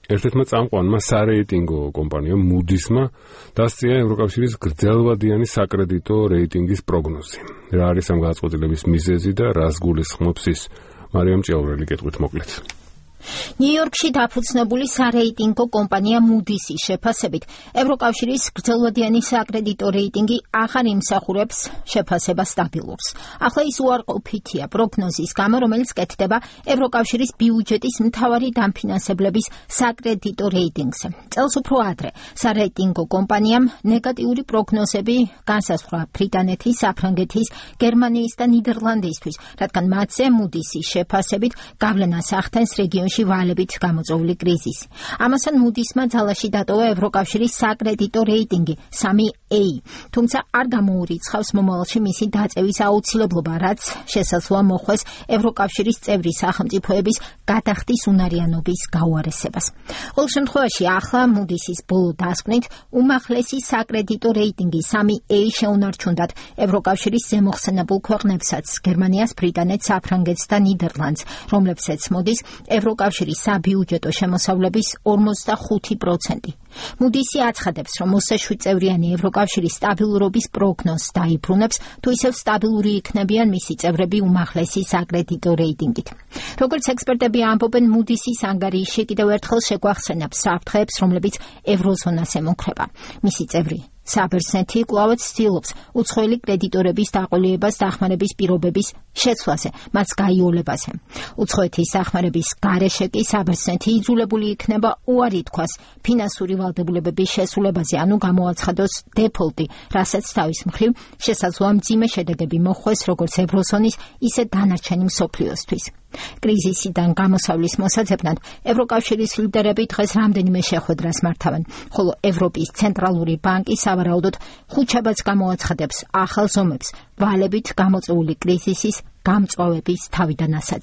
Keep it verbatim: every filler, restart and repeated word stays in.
ერთ-ერთმა წამყვანმა სარეიტინგო კომპანიამ Moody's-მა დასწია ევროკავშირის გრძელვადიანი საკრედიტო რეიტინგის პროგნოზი. რა არის ამ გადაწყვეტილების მიზეზი და რას გულისხმობს ის? მარიამ ჭიაურელი კითხვით მოკლედ. ნიუ-იორკში დაფუძნებული სარეიტინგო კომპანია Moody's-ის შეფასებით, ევროკავშირის გრძელვადიანი საკრედიტო რეიტინგი აღარ იმსახურებს შეფასებას სტაბილურს. ახლა ის უარყოფითია პროგნოზის გამო, რომელიც კეთდება ევროკავშირის ბიუჯეტის მთავარი დამფინანსებლების საკრედიტო რეიტინგზე. წელს უფრო ადრე სარეიტინგო კომპანიამ ნეგატიური პროგნოზები განსაზღვრა ბრიტანეთის, საფრანგეთის, გერმანიის და ნიდერლანდისთვის, რადგან მათზე Moody's-ის შეფასებით გავლენას ახდენს რეგიონში ვალებით გამოწვეული კრიზისი. ამასთან Moody's-მა ძალაში დატოვა ევროკავშირის საკრედიტო რეიტინგი სამი A, თუმცა არ გამოურიცხავს მომავალში მისი დაწევის აუცილებლობა, რაც შესაძლოა მოხვდეს ევროკავშირის წევრი სახელმწიფოების გადახდის უნარიანობის გაუარესებას. ყოველ შემთხვევაში ახლა Moody's-ის ბოლო დასკვნით უმაღლესი საკრედიტო რეიტინგი სამი A შეუნარჩუნდათ ევროკავშირის ზემოხსენებულ ქვეყნებსაც, გერმანიას, ბრიტანეთს, საფრანგეთს და ნიდერლანდს, რომლებსაც მოდის ევროკავშირის საბიუჯეტო შემოსავლების ორმოცდახუთი პროცენტი. Moody's-ი აცხადებს, რომ ოცდაშვიდ წევრიანი ევროკავშირის სტაბილურობის პროგნოზს დაიბრუნებს, თუ ისევ სტაბილური იქნებიან მისი წევრები უმაღლესი საკრედიტო რეიტინგით. როგორც ექსპერტები ამბობენ, Moody's-ის ანგარიში კიდევ ერთხელ შეგვახსენებს საფრთხეებს, რომლებიც ევროზონას ემუქრება. მისი წევრი საბერძნეთი კვლავაც ცდილობს უცხოელი კრედიტორების დაყოლიებას დახმარების პირობების შეცვლაზე, მას გაიოლებაზე. უცხოეთის დახმარების გარეშე კი საბერძნეთი იძულებული იქნება უარი თქვას ფინანსური ვალდებულებების შესრულებაზე, ანუ გამოაცხადოს დეფოლტი, რასაც თავის მხრივ შესაძლოა მძიმე შედეგები მოჰყვეს როგორც ევროზონის, ისე დანარჩენი მსოფლიოსთვის. კრიზისიდან გამოსავლის მოსაძებნად ევროკავშირის ლიდერები დღეს რამდენიმე შეხვედრას მართავენ, ხოლო ევროპის ცენტრალური ბანკი სავარაუდოდ ხუთშაბათს გამოაცხადებს ახალ ზომებს ვალებით გამოწვეული კრიზისის გამწვავების თავიდან ასაცილებლად.